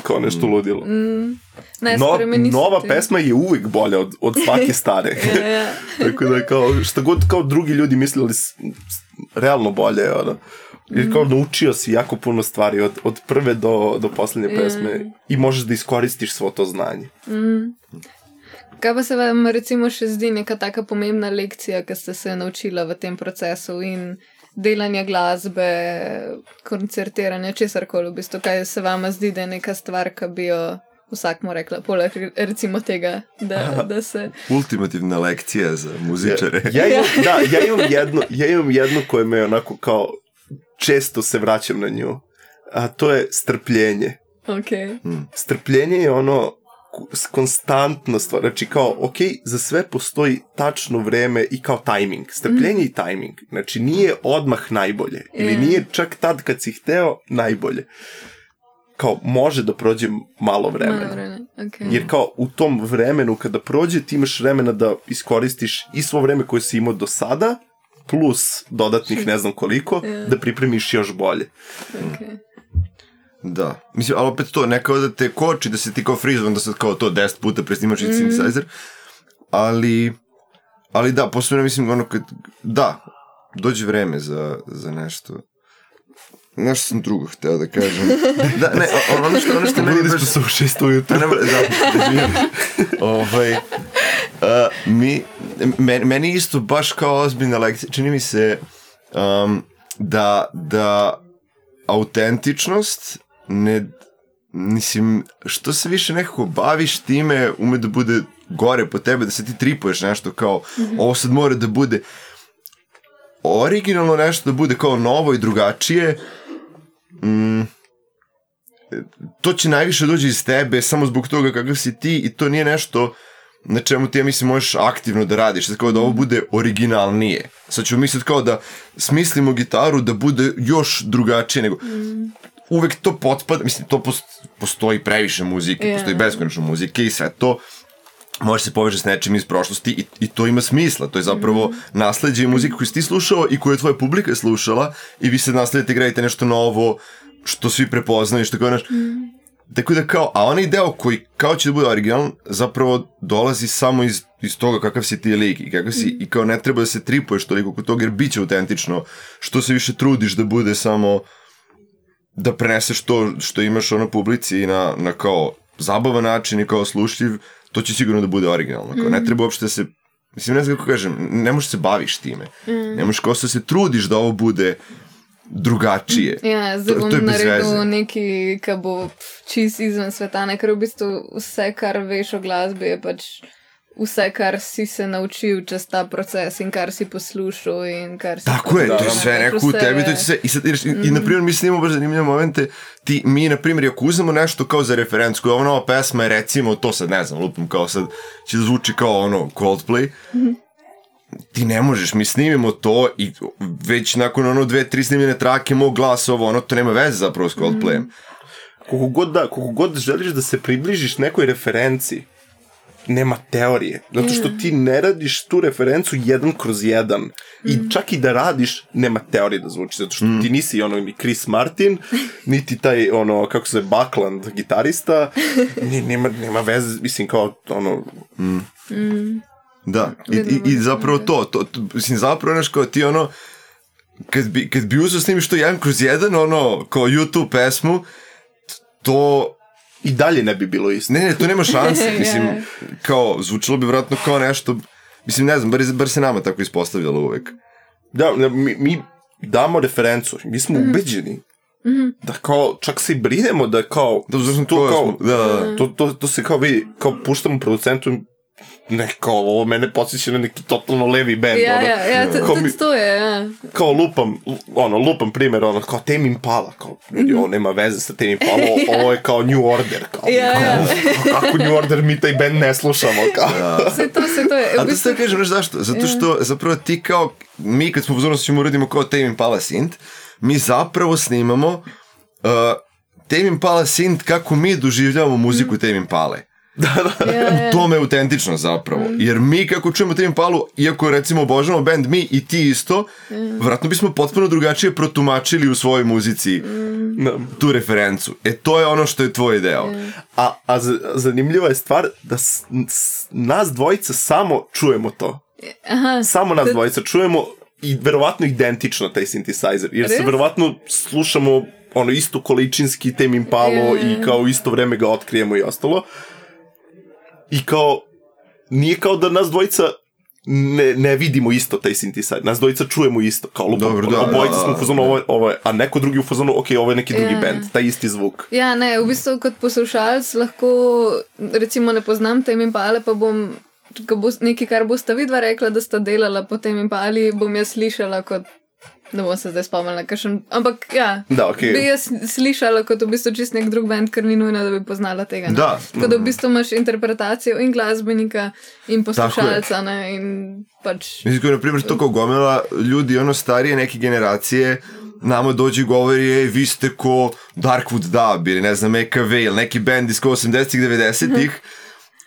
kao nešto ludilo. Mm. Ne, no, nova ti. Pesma je uvijek bolja od, od svake stare. yeah, yeah. Tako da kao, šta god kao drugi ljudi mislili realno bolje. Ono. Jer kao naučio si jako puno stvari od, od prve do, do posljednje pesme mm. i možeš da iskoristiš svo to znanje. Mm. Kaj pa se vam recimo še zdi neka taka pomembna lekcija, ki ste se naučila v tem procesu in delanja glasbe, koncertiranja, česarkoli v bistvu, kaj se vama zdi, da je neka stvar, ki bi jo vsak mu rekla, poleg recimo tega, da, da se... Ultimativna lekcija za muzičare. Ja, ja, imam, da, ja, imam jednu, ja imam jednu koju me onako kao često se vraćam na nju, a to je strpljenje. Okay. Hmm. Strpljenje je ono konstantna stvar, znači kao, ok, za sve postoji tačno vreme i kao tajming, strpljenje mm. i tajming, znači nije odmah najbolje, yeah. ili nije čak tad kad si hteo najbolje, kao može da prođe malo vremena, malo vremena. Okay. Jer kao u tom vremenu kada prođe ti imaš vremena da iskoristiš i svo vreme koje si imao do sada, plus dodatnih ne znam koliko, yeah. da pripremiš još bolje. Okay. Da, mislim, ali opet to, ne kao da te koči, da se ti kao frizovan, da sad kao to deset puta presnimaš i mm. synthesizer, ali, ali da, posebno mislim, ono kad, da, dođe vreme za, za nešto, nešto sam drugo hteo da kažem, da, ne, ono što, ono što meni baš... su šest ujutru. Da, da, da, ovaj, uh, mi, men, meni isto baš kao ozbiljna lekcija, čini mi se um, da, da autentičnost ne, mislim, što se više nekako baviš time, ume da bude gore po tebe, da se ti tripuješ nešto kao, mm-hmm. ovo sad mora da bude originalno nešto, da bude kao novo i drugačije, mm, to će najviše dođe iz tebe, samo zbog toga kakav si ti i to nije nešto na čemu ti, ja mislim, možeš aktivno da radiš, sad kao da ovo bude originalnije. Sad ću misliti kao da smislimo gitaru da bude još drugačije nego... Mm. Uvek to potpada, mislim, to postoji previše muzike, yeah. postoji beskonačno muzike i sve to može se poveže s nečim iz prošlosti i, i to ima smisla, to je zapravo mm. nasleđe i muzika koju si ti slušao i koju je tvoja publika slušala i vi se nasledite, gradite nešto novo što svi prepoznaju, što kao naš... Mm. Tako da kao, a onaj deo koji kao će da bude originalan, zapravo dolazi samo iz, iz toga kakav si ti lik i kakav si, mm. i kao ne treba da se tripuješ toliko kod toga jer bit će autentično, što se više trudiš da bude samo da preneseš to što imaš ono publici i na, na kao zabavan način i kao slušljiv, to će sigurno da bude originalno. Kao, mm. ne treba uopšte da se, mislim, ne znam kako kažem, ne možeš se baviš time. Mm. Ne možeš kao se trudiš da ovo bude drugačije. Ja, zdaj bom naredil neki, ki bo čist izven sveta, ne, ker v bistvu vse, kar veš o glasbi, je pač vse, kar si se naučil čez ta proces in kar si poslušal in kar si... Tako je, to je sve neko u tebi, to je sve. I, sad, i, mm. i na primjer, mi snimamo baš zanimljive momente, ti, mi, na primjer, ako uzmemo nešto kao za referencku, ova nova pesma je, recimo, to sad, ne znam, lupam, kao sad, će da zvuči kao ono, Coldplay, mm. ti ne možeš, mi snimimo to i već nakon ono dve, tri snimljene trake, mog glas, ovo, ono, to nema veze zapravo s Coldplayem. Mm. Koliko god, da, koliko god želiš da se približiš nekoj referenciji, nema teorije. Zato što ti ne radiš tu referencu jedan kroz jedan. Mm. I čak i da radiš, nema teorije da zvuči. Zato što mm. ti nisi ono ni Chris Martin, niti taj ono, kako se zove, Buckland gitarista. Ni, nema, nema veze, mislim, kao ono... Mm. Mm. Da, i, i, i zapravo to, to, to mislim, zapravo nešto kao ti ono, kad bi, kad bi uzeo snimiš to jedan kroz jedan, ono, kao YouTube pesmu, to... I dalje ne bi bilo isto. Ne, ne, to nema šanse, mislim, kao, zvučilo bi vratno kao nešto, mislim, ne znam, bar, bar se nama tako ispostavljalo uvek. Da, mi, mi damo referencu, mi smo mm-hmm. ubeđeni. Mm-hmm. Da kao, čak se i brinemo da kao, da, to, to, kao da, da. To, to, to se kao vidi, kao puštamo producentu, ne, kao, ovo mene podsjeća na neki totalno levi band. Ja, ono, ja, ja, to, to, to je, ja. Kao lupam, ono, lupam primjer, ono, kao Tame Impala, kao, mm-hmm. ovo nema veze sa Tame Impala, ovo, ovo je kao New Order, kao, ja, kao, ja. kao, kako New Order, mi taj band ne slušamo, kao. Ja. Sve to, sve to je. A to ste kažem, znaš zašto? Zato što, zapravo ti kao, mi kad smo pozornosti ćemo uradimo kao Tame Impala synth, mi zapravo snimamo uh, Tame Impala synth kako mi doživljavamo muziku mm. Tame Impale. Da, da. Ja, ja. U tome je autentično zapravo. Mm. Jer mi kako čujemo Tame Impalu, iako recimo obožavamo band mi i ti isto, mm. vratno bismo potpuno drugačije protumačili u svojoj muzici mm. tu referencu. E to je ono što je tvoj deo. Mm. A, a zanimljiva je stvar da s, s, nas dvojica samo čujemo to. Aha, samo nas to... dvojica čujemo i verovatno identično taj synthesizer. Jer Res? se verovatno slušamo ono isto količinski Tame Impalu yeah. i kao isto vreme ga otkrijemo i ostalo. I kao, nije kao da nas dvojica ne, ne vidimo isto taj synthesizer. Nas dvojica čujemo isto. Kao lupo, Dobro, da, obojica da, smo u fazonu, ovo, ovo je, a neko drugi u fazonu, ok, ovo je neki drugi ja. band, taj isti zvuk. Ja, ne, v bistvu kot poslušalc lahko, recimo ne poznam Tame Impale, pa bom bo, nekaj, kar bosta vidva rekla, da sta delala po Tame Impali, bom jaz slišala kot, ne bom se zdaj spomnila, kakšen, ampak ja, da, okay. bi jaz slišala kot v bistvu čist nek drug band, ker ni nujno, da bi poznala tega. Ne? Da. Tako da v bistvu imaš interpretacijo in glasbenika in poslušalca, ne, in pač... Mislim, ko je, na primjer, to kao gomela ljudi, ono starije neke generacije, nama dođe i govori, ej, vi ste ko Darkwood Dub ili ne znam, E K V ili neki band iz ko osamdesetih, devedesetih,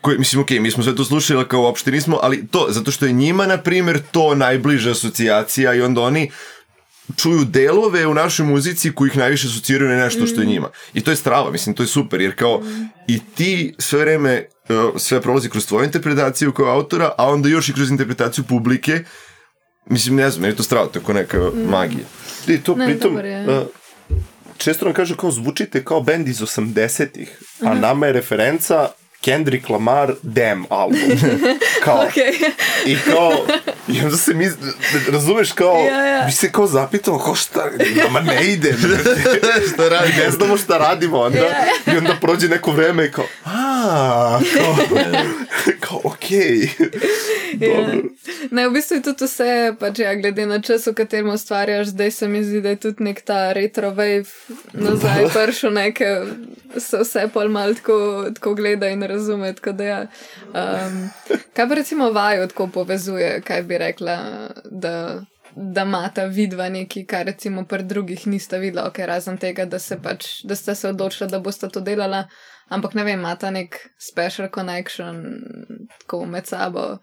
koji, mislim, okej, okay, mi smo sve to slušali kao uopšte nismo, ali to, zato što je njima, na primjer, to najbliža asocijacija i onda oni čuju delove u našoj muzici koji ih najviše asociraju na nešto što je njima. I to je strava, mislim, to je super, jer kao i ti sve vreme, sve prolazi kroz tvoju interpretaciju kao autora, a onda još i kroz interpretaciju publike. Mislim, ne znam, meni je to strava, to je kao neka magija. I to ne, pritom, uh, često nam kaže kao zvučite kao band iz osamdesetih, a uh-huh. nama je referenca Kendrick Lamar Damn album. Kao, okay. I kao, i onda se mi, razumeš, kao, ja, ja. mi se kao zapitamo, kao šta, nama ne ide, šta radi, ne znamo šta radimo, onda, ja. I onda prođe neko vreme i kao, aaa, kao, kao, okej, okay. Ja. Ne, v bistvu je tudi vse, pač ja, glede na čas, v katerem ustvarjaš, zdaj se mi zdi, da je tudi nek ta retro wave nazaj pršel, neke, se vse pol malo tako, tako gleda in razume, tako da ja. Um, kaj pa recimo vaju tako povezuje, kaj bi rekla, da, da imata vidva neki, kar recimo pri drugih nista videla, ok, razen tega, da se pač, da sta se odločila, da bosta to delala, ampak ne vem, imata nek special connection tako med sabo.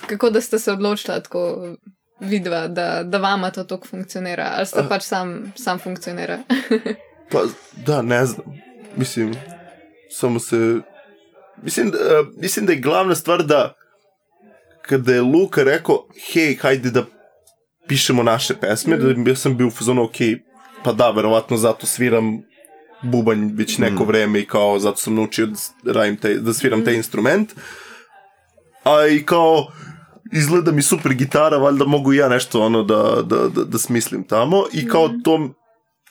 Kako da ste se odločila tako vidva, da, da vama to tako funkcionira, ali sta pač sam, sam funkcionira? Pa, da, ne znam. Mislim, samo se... Mislim, da, mislim da je glavna stvar da kada je Luka rekao, hej, hajde da pišemo naše pesme, mm. da ja sam bio u fazonu, ok, pa da, verovatno zato sviram bubanj već neko mm. vreme i kao zato sam naučio da, radim taj, da sviram mm. taj instrument. A i kao, izgleda mi super gitara, valjda mogu i ja nešto ono da, da, da, da smislim tamo. I kao mm. to,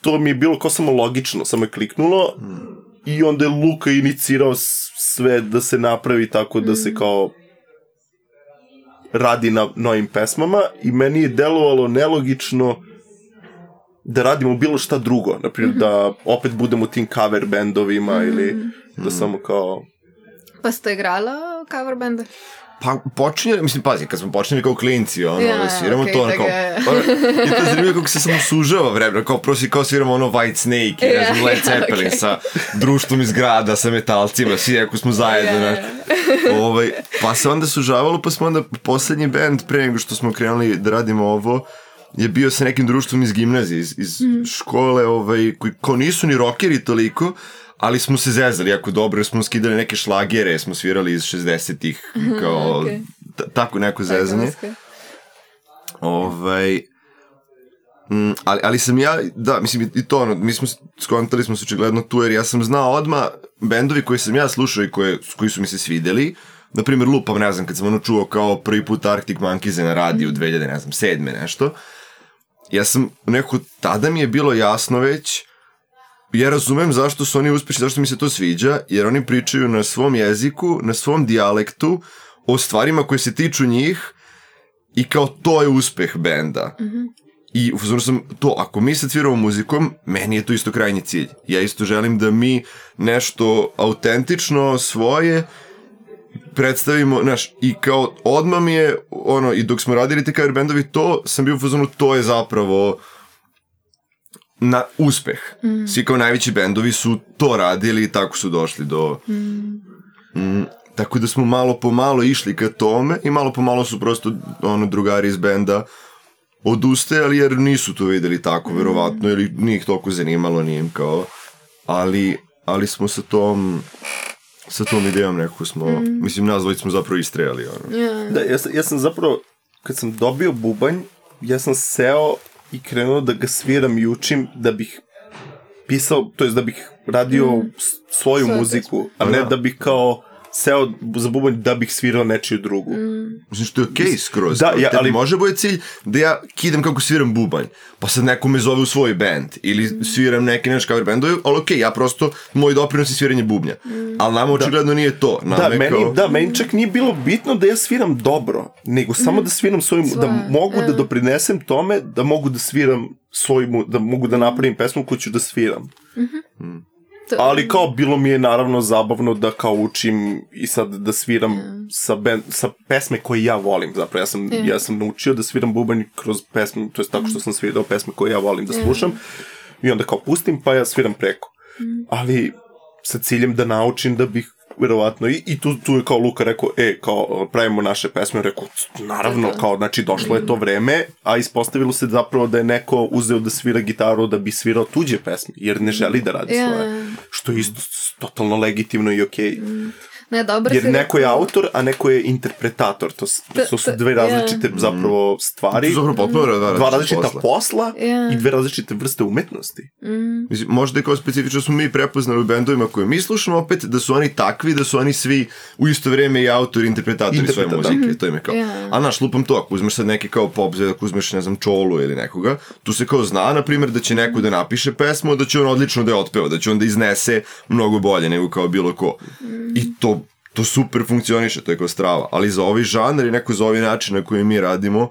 to mi je bilo kao samo logično, samo je kliknulo. Mm. I onda je Luka inicirao sve da se napravi tako da se kao radi na novim pesmama. I meni je delovalo nelogično da radimo bilo šta drugo. Naprimjer, mm-hmm. da opet budemo tim cover bandovima mm-hmm. ili da samo kao... Pa ste igrala cover bande? Pa počinjali, mislim, pazi, kad smo počinjali kao klinci, ono, ja, sviramo okay, to, ono, kao, ono, i to je zanimljivo kako se samo sužava vremena, kao prosi, kao sviramo ono White Snake, ja, ne znam, Led Zeppelin, okay. sa društvom iz grada, sa metalcima, svi ako smo zajedno, ja, ja. Ovaj, pa se onda sužavalo, pa smo onda poslednji band, pre nego što smo krenuli da radimo ovo, je bio sa nekim društvom iz gimnazije, iz, iz mm. škole, ovaj, koji kao nisu ni rockeri toliko, ali smo se zezali jako dobro, jer smo skidali neke šlagere, smo svirali iz šezdesetih, kao, okay. t- tako neko zezanje. Ovaj, mm, ali, ali sam ja, da, mislim, i to ono, mi smo, skontali smo se očigledno tu, jer ja sam znao odmah bendovi koji sam ja slušao i koje, koji su mi se svideli, na primjer, lupam, ne znam, kad sam ono čuo kao prvi put Arctic Monkeys na radiju mm. dve hiljade sedme nešto, ja sam nekako, tada mi je bilo jasno već, ja razumem zašto su oni uspešni, zašto mi se to sviđa, jer oni pričaju na svom jeziku, na svom dijalektu, o stvarima koje se tiču njih i kao to je uspeh benda. Mm-hmm. I uzmano sam to, ako mi sad sviramo muzikom, meni je to isto krajnji cilj. Ja isto želim da mi nešto autentično svoje predstavimo, znaš, i kao odmah mi je, ono, i dok smo radili te cover bendovi, to sam bio u fazonu, to je zapravo na uspeh. Mm. Svi kao najveći bendovi su to radili i tako su došli do... Mm. Mm, tako da smo malo po malo išli ka tome i malo po malo su prosto ono, drugari iz benda odustajali jer nisu to videli tako, mm. verovatno, ili nije ih toliko zanimalo, nije im kao... Ali, ali smo sa tom... sa tom idejom nekako smo... Mm. Mislim, nas dvojice smo zapravo istrejali. Ono. Yeah. Da, ja sam, ja sam zapravo... Kad sam dobio bubanj, ja sam seo i krenuo da ga sviram i učim da bih pisao, to jest da bih radio mm. svoju Svoje muziku, a ne da bih kao seo za bubanj da bih svirao nečiju drugu. Mm. Mislim što je okej okay, skroz. Da, ja, ali... može bude cilj da ja kidam kako sviram bubanj, pa sad neko me zove u svoj band, ili sviram neki naš cover bandovi, ali okej, okay, ja prosto, moj doprinos je sviranje bubnja. Mm. Ali nama očigledno da. nije to. Nama da, meni, kao... da, meni čak nije bilo bitno da ja sviram dobro, nego samo mm. da sviram svojim, Svoje. da mogu yeah. da doprinesem tome, da mogu da sviram svoju, da mogu da napravim pesmu koju ću da sviram. Mm-hmm. Mm. Ali kao bilo mi je naravno zabavno da kao učim i sad da sviram yeah. sa, band, sa pesme koje ja volim. Zapravo ja sam, yeah. ja sam naučio da sviram bubanj kroz pesme, to je tako što sam svirao pesme koje ja volim da slušam yeah. i onda kao pustim pa ja sviram preko. Mm. Ali sa ciljem da naučim da bih verovatno i, i tu, tu je kao Luka rekao, e, kao pravimo naše pesme, rekao, naravno, kao, znači došlo je to vreme, a ispostavilo se zapravo da je neko uzeo da svira gitaru da bi svirao tuđe pesme, jer ne želi da radi yeah. svoje, što je isto totalno legitimno i okej. Okay. Ne, dobro jer neko je autor, a neko je interpretator, to, to, to su dve različite yeah. zapravo stvari, to zapravo potpuno različite dva različita posla, posla yeah. i dve različite vrste umetnosti. Mm. Mislim, možda je kao specifično smo mi prepoznali u bendovima koje mi slušamo opet, da su oni takvi, da su oni svi u isto vrijeme i autori, interpretatori Interpretat, svoje muzike, mm-hmm. to im je kao. Yeah. A naš lupam to, ako uzmeš sad neki kao pop, ako uzmeš, ne znam, Čolu ili nekoga, tu se kao zna, na primjer, da će neko da napiše pesmu, da će on odlično da je otpeva, da će on da iznese mnogo bolje nego kao bilo ko. Mm. I to To super funkcioniše, to je kao strava. Ali za ovi žanr i neko za ovi način na koji mi radimo,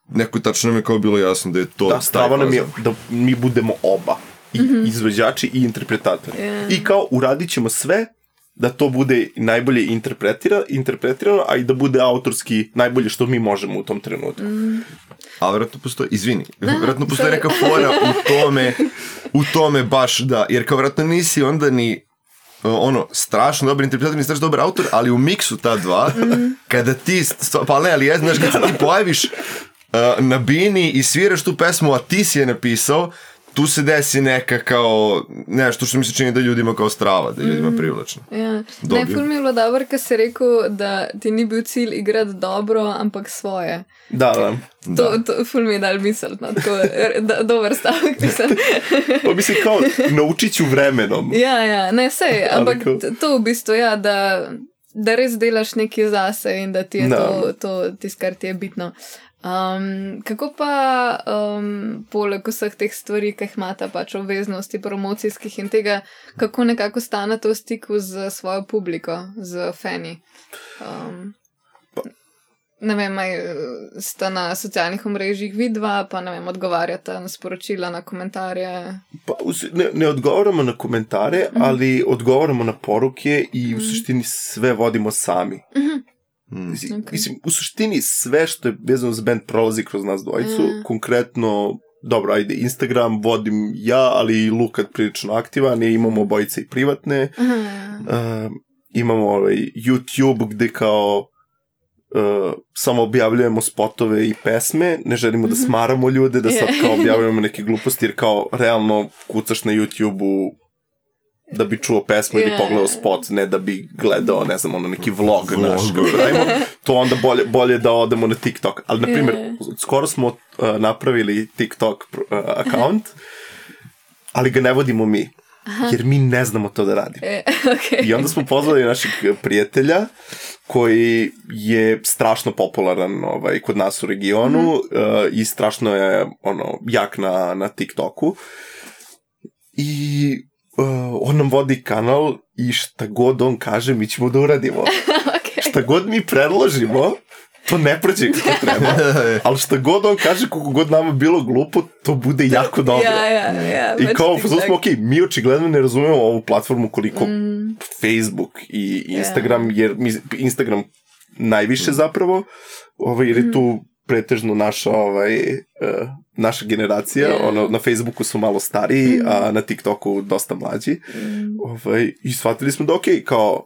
neko tačno nam je kao bilo jasno da je to... Da, strava nam je da mi budemo oba. I mm-hmm. izvođači i interpretatori. Yeah. I kao uradit ćemo sve da to bude najbolje interpretira, interpretirano, a i da bude autorski najbolje što mi možemo u tom trenutku. Mm. Ali vjerojatno postoji, izvini, da, vjerojatno postoji neka fora u tome, u tome baš da, jer kao vjerojatno nisi onda ni ono, strašno dobar interpretator i strašno dobar autor, ali u miksu ta dva, mm. kada ti, pa ne, ali ja znaš, kada se ti pojaviš uh, na bini i sviraš tu pesmu, a ti si je napisao, tu se desi neka kao, nešto što mi se čini da ljudima kao strava, da je ljudima privlačno. Ja. Ne, ful mi je bilo dobro kad si rekao da ti ni bil cilj igrati dobro, ampak svoje. Da, da. To, to ful mi je dal misliti, no, tako da, dober stavek, mislim. Pa mislim, kao, naučit ću vremenom. Ja, ja, ne, sej, ampak to v bistvu, ja, da, da res delaš nekaj zase in da ti je no. to, to tisto, kar ti je bitno. Um, kako pa um, poleg vseh teh stvari, ki jih imata pač obveznosti promocijskih in tega, kako nekako stanete v stiku z svojo publiko, z fani? Um, ne vem, maj, sta na socialnih omrežjih vidva, pa ne vem, odgovarjata na sporočila, na komentarje? Pa, ne, ne odgovaramo na komentarje, mm-hmm. ali odgovaramo na poruke i v suštini sve vodimo sami. Mm-hmm. Mm. Mislim, okay. mislim, u suštini sve što je vezano za band prolazi kroz nas dvojicu, mm. konkretno, dobro, ajde, Instagram vodim ja, ali i Luka prilično aktivan, i imamo obojice i privatne, mm. uh, imamo ovaj YouTube gde kao uh, samo objavljujemo spotove i pesme, ne želimo mm-hmm. da smaramo ljude, da sad kao objavljujemo neke gluposti, jer kao realno kucaš na YouTube-u da bi čuo pesmu yeah. ili pogledao spot, ne da bi gledao, ne znam, ono neki vlog, vlog. naš, to onda bolje, bolje da odemo na TikTok. Ali, na primjer, yeah. skoro smo uh, napravili TikTok uh, account, ali ga ne vodimo mi, Aha. jer mi ne znamo to da radimo. E, okay. I onda smo pozvali našeg prijatelja, koji je strašno popularan ovaj, kod nas u regionu mm-hmm. uh, i strašno je ono, jak na, na TikToku. I Uh, on nam vodi kanal i šta god on kaže mi ćemo da uradimo. Okay. Šta god mi predložimo, to ne prođe kako treba. Ali šta god on kaže, koliko god nama bilo glupo, to bude jako dobro. Ja, ja, ja, I kao, smo, ok, mi očigledno ne razumemo ovu platformu koliko mm. Facebook i Instagram, yeah. jer mi, Instagram najviše zapravo, ovaj, jer je tu pretežno naša, ovaj, uh, naša generacija, yeah. ono, na Facebooku su malo stariji, mm. a na TikToku dosta mlađi. Mm. Ovaj, i shvatili smo da ok, kao,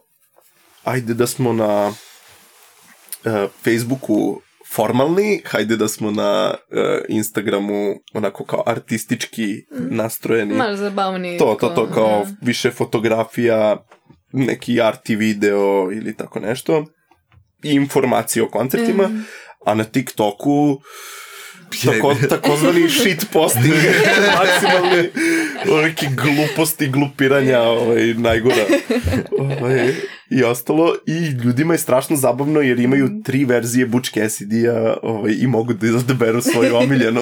ajde da smo na uh, Facebooku formalni, hajde da smo na uh, Instagramu onako kao artistički mm. nastrojeni. Malo zabavni. To, to, to, kao yeah. više fotografija, neki arti video ili tako nešto. I informacije o koncertima. Mm. A na TikToku tako, takozvani shit posting, maksimalni neki gluposti, glupiranja, ovaj, najgora. Ovaj, i ostalo i ljudima je strašno zabavno jer imaju tri verzije Butch Cassidy-a ovaj, i mogu da odaberu svoju omiljenu.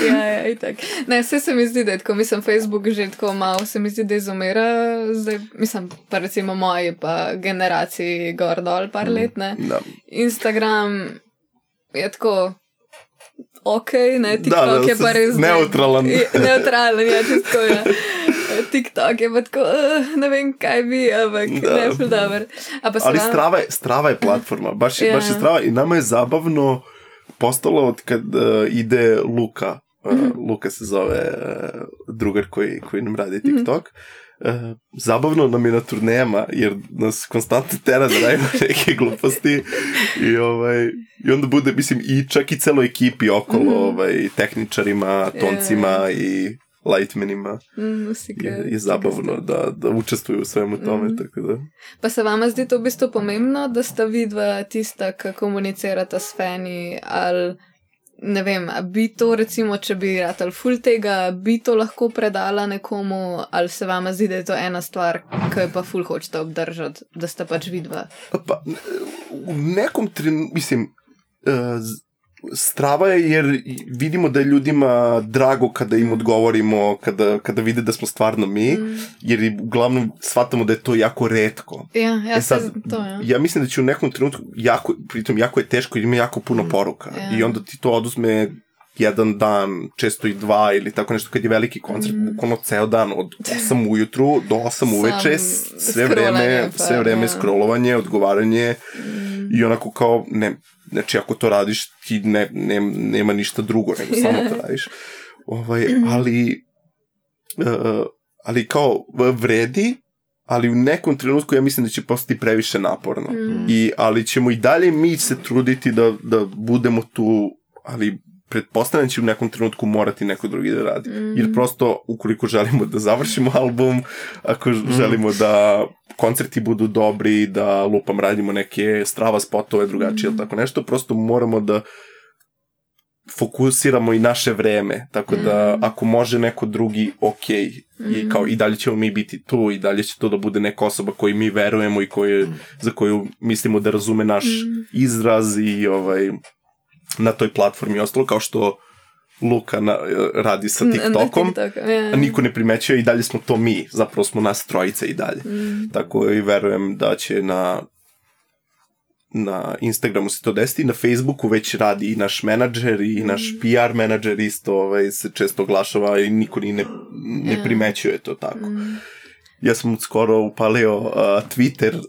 ja, ja, i tak. Ne, vse se mi zdi, da je tako, mislim, Facebook že tako malo se mi zdi, da izumira, zdaj, mislim, pa recimo moji pa generaciji gor dol par mm, let, ne. Da. Instagram je tako ok, ne, TikTok da, da, je pa res... Neutralan. Neutralan, ja, tisto je. TikTok je pa tako, uh, ne vem, kaj bi, ampak ne, ful dober. Ali vam... strava, je, strava je platforma, baš, yeah. baš je strava i nama je zabavno postalo od kad uh, ide Luka, uh, mm-hmm. Luka se zove uh, drugar koji, koji nam radi TikTok, mm-hmm. uh, zabavno nam je na turnejama, jer nas konstantno tera da radimo neke gluposti i, ovaj, i onda bude, mislim, i čak i celoj ekipi okolo, mm-hmm. ovaj, tehničarima, toncima yeah. i lightmenima Musika, je, je zabavno da, da učestvuju u svemu tome. Mm. Tako da. Pa se vama zdi to v bistvu pomembno, da sta vidva tista, ki komunicirata s fani, ali ne vem, bi to recimo, če bi ratali ful tega, bi to lahko predala nekomu, ali se vama zdi, da je to ena stvar, ki pa ful hočete obdržati, da sta pač vidva? Pa, v nekom trenutku, mislim, uh, strava je jer vidimo da je ljudima drago kada im odgovorimo, kada, kada vide da smo stvarno mi, mm. jer uglavnom shvatamo da je to jako retko. Ja, ja, e sad, se, to, ja. ja mislim da će u nekom trenutku, jako, pritom jako je teško jer ima jako puno poruka ja. I onda ti to oduzme jedan dan, često i dva ili tako nešto kad je veliki koncert, mm. bukvalno ceo dan od osam ujutru do osam uveče, sve vreme, pa, sve vreme ja. Scrollovanje, odgovaranje mm. i onako kao, ne, znači ako to radiš ti ne, ne, nema ništa drugo nego samo to radiš ovaj, ali uh, ali kao vredi, ali u nekom trenutku ja mislim da će postati previše naporno mm. I, ali ćemo i dalje mi se truditi da, da budemo tu, ali pretpostavljam će u nekom trenutku morati neko drugi da radi. Mm. Jer prosto, ukoliko želimo da završimo album, ako mm. želimo da koncerti budu dobri, da lupam radimo neke strava spotove drugačije ili mm. tako nešto, prosto moramo da fokusiramo i naše vreme. Tako da, mm. ako može neko drugi, ok. Mm. I, kao, i dalje ćemo mi biti tu i dalje će to da bude neka osoba koju mi verujemo i koje, mm. za koju mislimo da razume naš mm. izraz i ovaj... na toj platformi ostalo, kao što Luka na, radi sa TikTokom, TikTok, yeah. a niko ne primećuje i dalje smo to mi, zapravo smo nas trojice i dalje. Mm. Tako i verujem da će na na Instagramu se to desiti, na Facebooku već radi i naš menadžer i mm. naš P R menadžer isto ovaj, se često oglašava i niko ni ne, ne yeah. primećuje to tako. Mm. Ja sam skoro upalio uh, Twitter uh,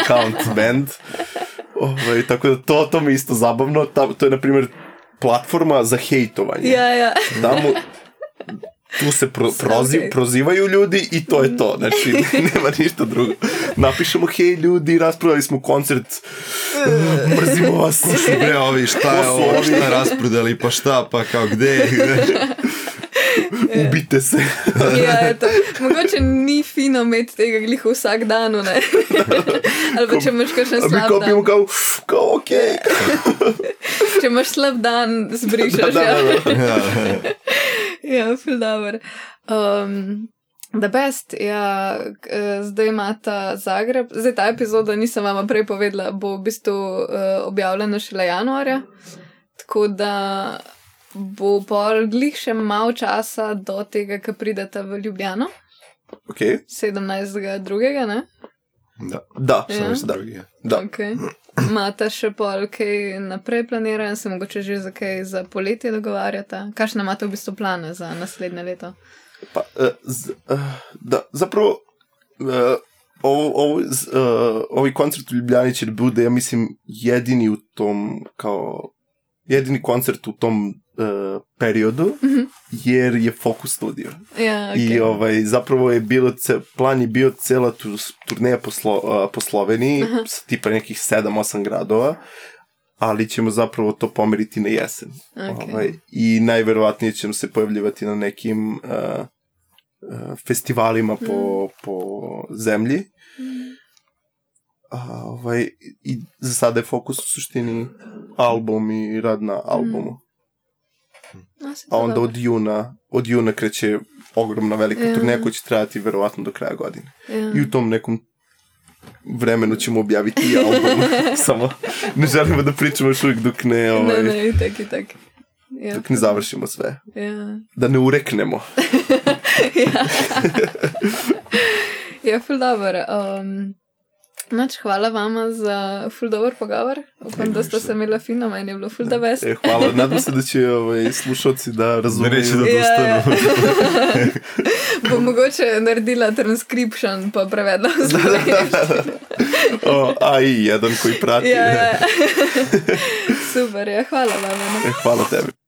account band. Ovaj, tako da to, to mi isto zabavno. Ta, to je, na primjer, platforma za hejtovanje. Ja, ja. Tamo, tu se pro, proziv, prozivaju ljudi i to je to. Znači, nema ništa drugo. Napišemo, hej ljudi, rasprodali smo koncert, mrzimo vas. Bre, ovi, šta je ovo, šta rasprodali, pa šta, pa kao, gde? Ubite se. Ja, eto. Mogoče ni fino imeti tega gliho vsak dan, ne? Ali pa če imaš kakšen slab dan. A mi kopimo kao, kao, okej. Okay. Če imaš slab dan, zbrišaš, da, ja. Da, da, da. Ja, ful dober. Um, The Best, ja, zdaj imata Zagreb. Zdaj ta epizoda, nisem vama prej povedala, bo v bistvu uh, objavljena šele januarja. Tako da bo pol glih še malo časa do tega, ko pridete v Ljubljano. Ok. sedemnajstega drugega, ne? Da, da, sedemnajstega drugega. Da. Ok. Imate še pol kaj naprej planirano, se mogoče že za kaj za poletje dogovarjata? Kakšne imate v bistvu plane za naslednje leto? Pa, uh, z, uh, da, zapravo, uh, ovo, ovo, z, uh, ovaj koncert u Ljubljani će bude, ja mislim, jedini u tom, kao, jedini koncert u tom uh, periodu, mm-hmm. jer je Focus Studio. Ja, okay. I ovaj, zapravo je bilo, ce, plan je bio cela tu, turneja po, Slo, uh, po Sloveniji, uh-huh. s tipa nekih sedam osam gradova, ali ćemo zapravo to pomeriti na jesen. Okay. Ovaj, I najverovatnije ćemo se pojavljivati na nekim uh, uh, festivalima mm. po, po zemlji. Mm. A, ovaj, i za sada je fokus u suštini album i rad na albumu. Mm. A onda od juna, od juna kreće ogromna velika yeah. turneja koja će trajati verovatno do kraja godine. Yeah. I u tom nekom vremenu ćemo objaviti album. Samo ne želimo da pričamo još uvijek dok ne... Ovaj, ne, ne, i tak, i tak. Ja. Dok ne završimo sve. Ja. Da ne ureknemo. ja. ja, ful dober. Um, Noč, hvala vama za ful dober pogovor. Upam, da ste se imeli fino, meni je bilo ful da best. E, hvala, nadam se da će ovaj, slušalci da razumeju. Ne reči, da dostanu. Ja, ja. Bom mogoče naredila transcription pa prevedla v slovenščino. A i jedan koji prati. Ja, ja. Super, ja, hvala vama. E, hvala tebi.